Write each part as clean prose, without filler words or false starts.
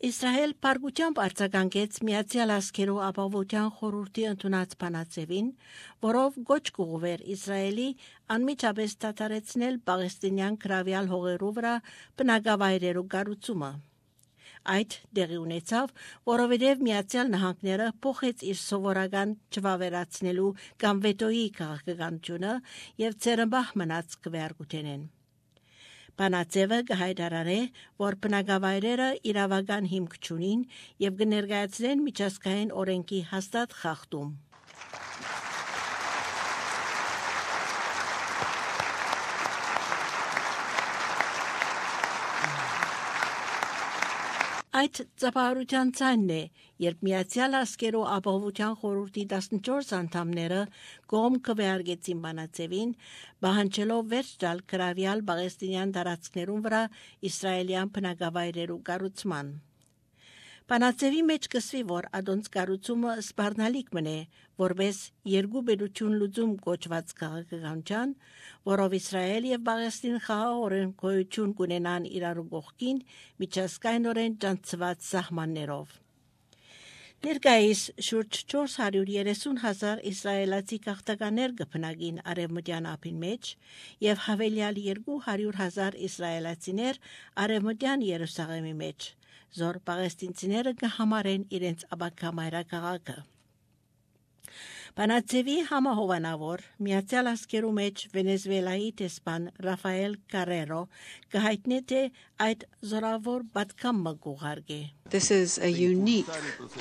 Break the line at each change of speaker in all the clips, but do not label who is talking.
Իսրայել պարգությամբ արձագանքեց Միացյալ Ազգերու ապահովության խորհրդի ընդունած բանաձևին, որով գոչ կուղվեր Իսրայելի անմիջապես դադարեցնել Պաղեստինյան գրավյալ հողերու վրա բնակավայրերու կառուցումը։ Այդ դեղի ունեցավ, որովհետև Միացյալ Նահանգները փոխեց իր սովորական չվավերացնելու կամ վետոյի քաղաքականությունը եւ ցերմբահ մնաց քվեարկութենեն։ Բանաձևը կհայտարարե, որ բնակավայրերը իրավական հիմք չունին եւ կներկայացնեն միջազգային օրենքի հաստատ խախտում։ Այդ ծափահարության ցանն է, երբ Միացյալ Ազգերու ապահովության խորհրդի 14 անդամները կողմ քվեարկեցին բանաձևին, բանջելով վերջ տալ գրավյալ Պաղեստինյան տարածքներուն վրա իսրայելյան բնակավայրերու կառուցման։ Բանաձևի մեջ կսվի, որ ադոնց կառուցումը սպառնալիք մնե, որպես երկու բերություն լուծում կոչված քաղաքականության, որով Իսրայել եւ Պաղեստին խաղաղորեն գոյություն կունենան իրար կողքին միջազգայինորեն ճանաչված սահմաններով։ Ներկայիս շուրջ 430,000 իսրայելացի քաղաքականներ կբնակին արևմտյան ափին մեջ եւ հավելյալ 200,000 իսրայելացիներ արևմտյան Երուսաղեմի մեջ, զոր պաղեստինցիները կհամարեն իրենց ապագա մայրաքաղաքը։ Բանաձևի համահովանավոր Միացյալ Ազգերու մեջ Վենեսուելայի տեսփան Ռաֆայել Կարերո կհայտնի թե այդ զորավոր պատգամը կուղարկե։
This is a unique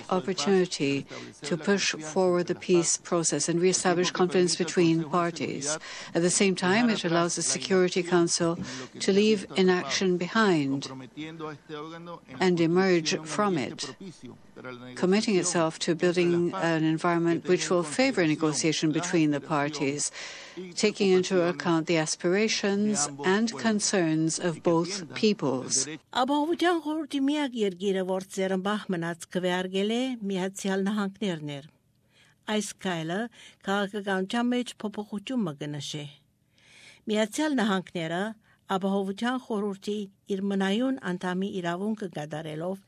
opportunity to push forward the peace process and re-establish confidence between parties. At the same time, it allows the Security Council to leave inaction behind and emerge from it, committing itself to building an environment which will favor negotiation between the parties, taking into account the aspirations and concerns of both peoples.
Ապահովության խորհրդի միակ երկիրը, որ ցերմբահ մնաց քվեարկել է Միացյալ Նահանգներն էր։ Այս քայլը քաղաքականության մեջ փոփոխություն մգնշե։ Միացյալ Նահանգները ապահովության խորհրդի իր մնայուն անդամի իրավունքը կատարելով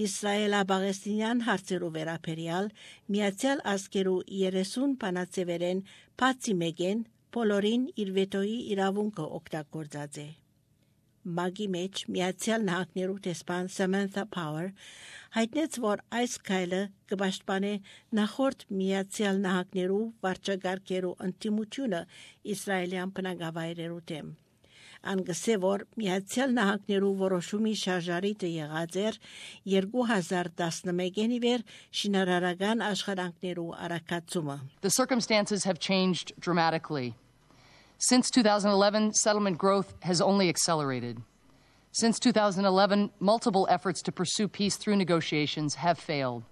Իսրայելա-Պաղեստինյան հարցերու վերաբերյալ Միացյալ Ազգերու 30 բանաձևերեն բացի մեկեն բոլորին իր վետոյի իրավունքը օգտագործած է։ Մագի մեջ Միացյալ Նահանգներու տեսփան Samantha Power հայտնեց, որ այս քայլը կպաշտպանե նախորդ Միացյալ Նահանգներու վարչագահերու ընդդիմությունը իսրայելյան բնակավայրերու դեմ։ Անգսե որ Միացյալ Նահանգներու որոշումի շարժարիտը եղած էր 2011-ի վեր շինարարական աշխատանքներու արագացումը։
The circumstances have changed dramatically. Since 2011, settlement growth has only accelerated. Since 2011, multiple efforts to pursue peace through negotiations have failed.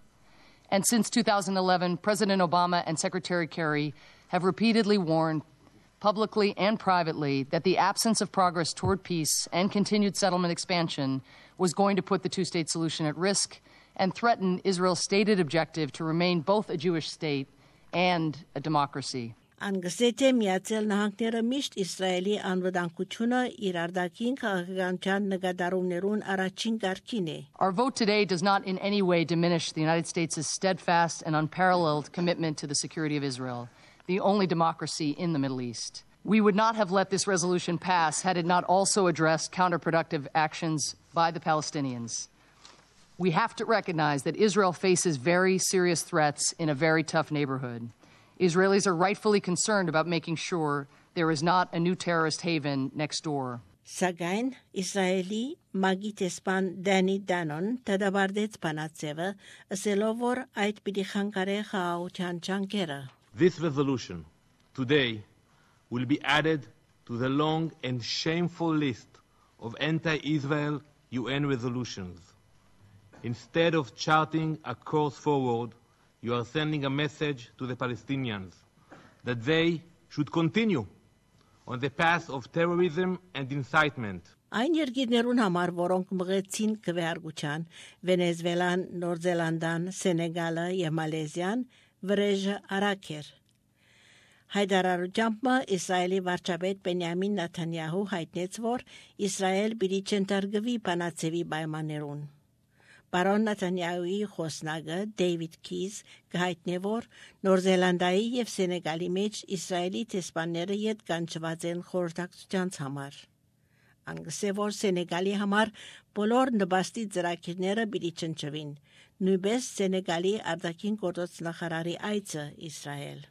And since 2011, President Obama and Secretary Kerry have repeatedly warned, publicly and privately, that the absence of progress toward peace and continued settlement expansion was going to put the two-state solution at risk and threaten Israel's stated objective to remain both a Jewish state and a democracy.
Անգսեթե Միացյալ Նահանգները միշտ Իսրայելի անվտանգությունը իր արտաքին քաղաքականության նկատառումներուն առաջին կարգին է։
Our vote today does not in any way diminish the United States' steadfast and unparalleled commitment to the security of Israel, the only democracy in the Middle East. We would not have let this resolution pass had it not also addressed counterproductive actions by the Palestinians. We have to recognize that Israel faces very serious threats in a very tough neighborhood. Israelis are rightfully concerned about making sure there is not a new terrorist haven next door.
Սակայն Իսրայելի մագի տեսփան Դանի Դանոն դադարեցեց բանաձևը, ասելով որ այդ պիտի խանգարե խաղաղության ջանքերը։
This resolution today will be added to the long and shameful list of anti-Israel UN resolutions. Instead of charting a course forward, you are sending a message to the Palestinians that they should continue on the path of terrorism and incitement.
Այն երկիրներուն համար, որոնք մղեցին քվեարկության, Վենեսուելան, Նոր Զելանդան, Սենեգալը եւ Մալեզիան, վրեժը արագ էր։ Հայդարարությամբ Իսրայելի վարչապետ Բենյամին Նեթանյահու հայտնեց, որ Իսրայել պիտի չընկերվի բանաձևի պայմաններուն։ Բարոն Նեթանյահուի խոսնագը Դեյվիդ Քիզ կհայտնի որ Նոր Զելանդիայի եւ Սենեգալի մեջ Իսրայելի տեսփանները յետ կանչված են խորհրդակցության համար։ Անգսե որ Սենեգալի համար բոլոր նպաստի ծրագիրները պիտի չնչվին, նույնպես Սենեգալի արտաքին գործոց նախարարի այցը Իսրայել։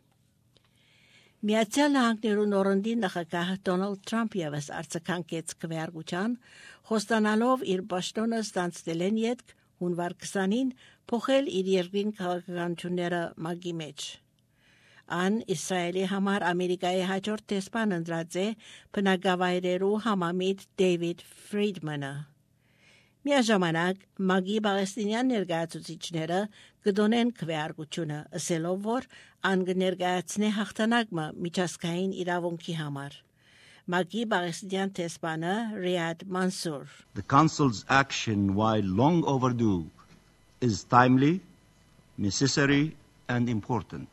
Միացյալ Նահանգներու նորընտի նախագահ Դոնալդ Թրամփը ևս արձագանքեց քվեարկության, խոստանալով իր պաշտոնը ստանձնելեն յետք հունվար 20-ին փոխել իր երկրին քաղաքականությունները մագի մեջ։ Ան Իսրայելի համար Ամերիկայի հաջորդ տեսփան ընտրած է բնակավայրերու համամիտ Դեյվիդ Ֆրիդմանը։ Միաժամանակ մագի պաղեստինյան ներկայացուցիչները կդոնեն քվեարկությունը, ասելով որ ան կներկայացնե հաղթանակը միջազգային իրավունքի համար։ Մագի պաղեստինյան տեսփանը Riyad Mansour.
The Council's action, while long overdue, is timely, necessary, and important.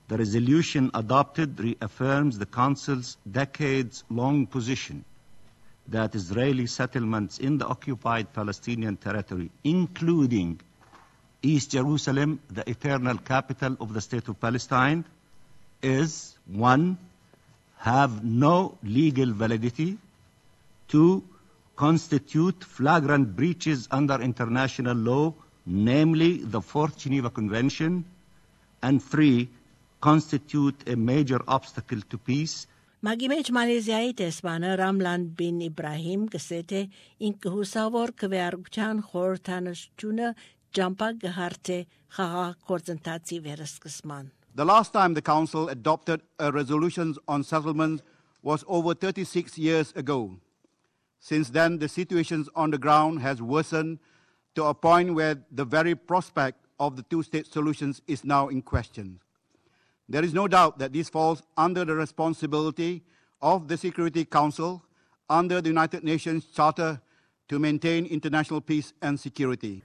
The resolution adopted reaffirms the Council's decades-long position that Israeli settlements in the occupied Palestinian territory, including East Jerusalem, the eternal capital of the State of Palestine, is 1. Have no legal validity, 2. Constitute flagrant breaches under international law, namely the Fourth Geneva Convention, and 3. Constitute a major obstacle to peace.
Մագի մեջ Մալեզիայի տեսփանը Ռամլան բին Իբրահիմ գսեթե ինքը հուսավոր քվեարկության խորհրդանշությունը ջամփա գհարթե խաղաղ գործընթացի վերսկսման։
The last time the Council adopted a resolution on settlements was over 36 years ago. Since then, the situation on the ground has worsened to a point where the very prospect of the two-state solutions is now in question. There is no doubt that this falls under the responsibility of the Security Council under the United Nations Charter to maintain international peace and security.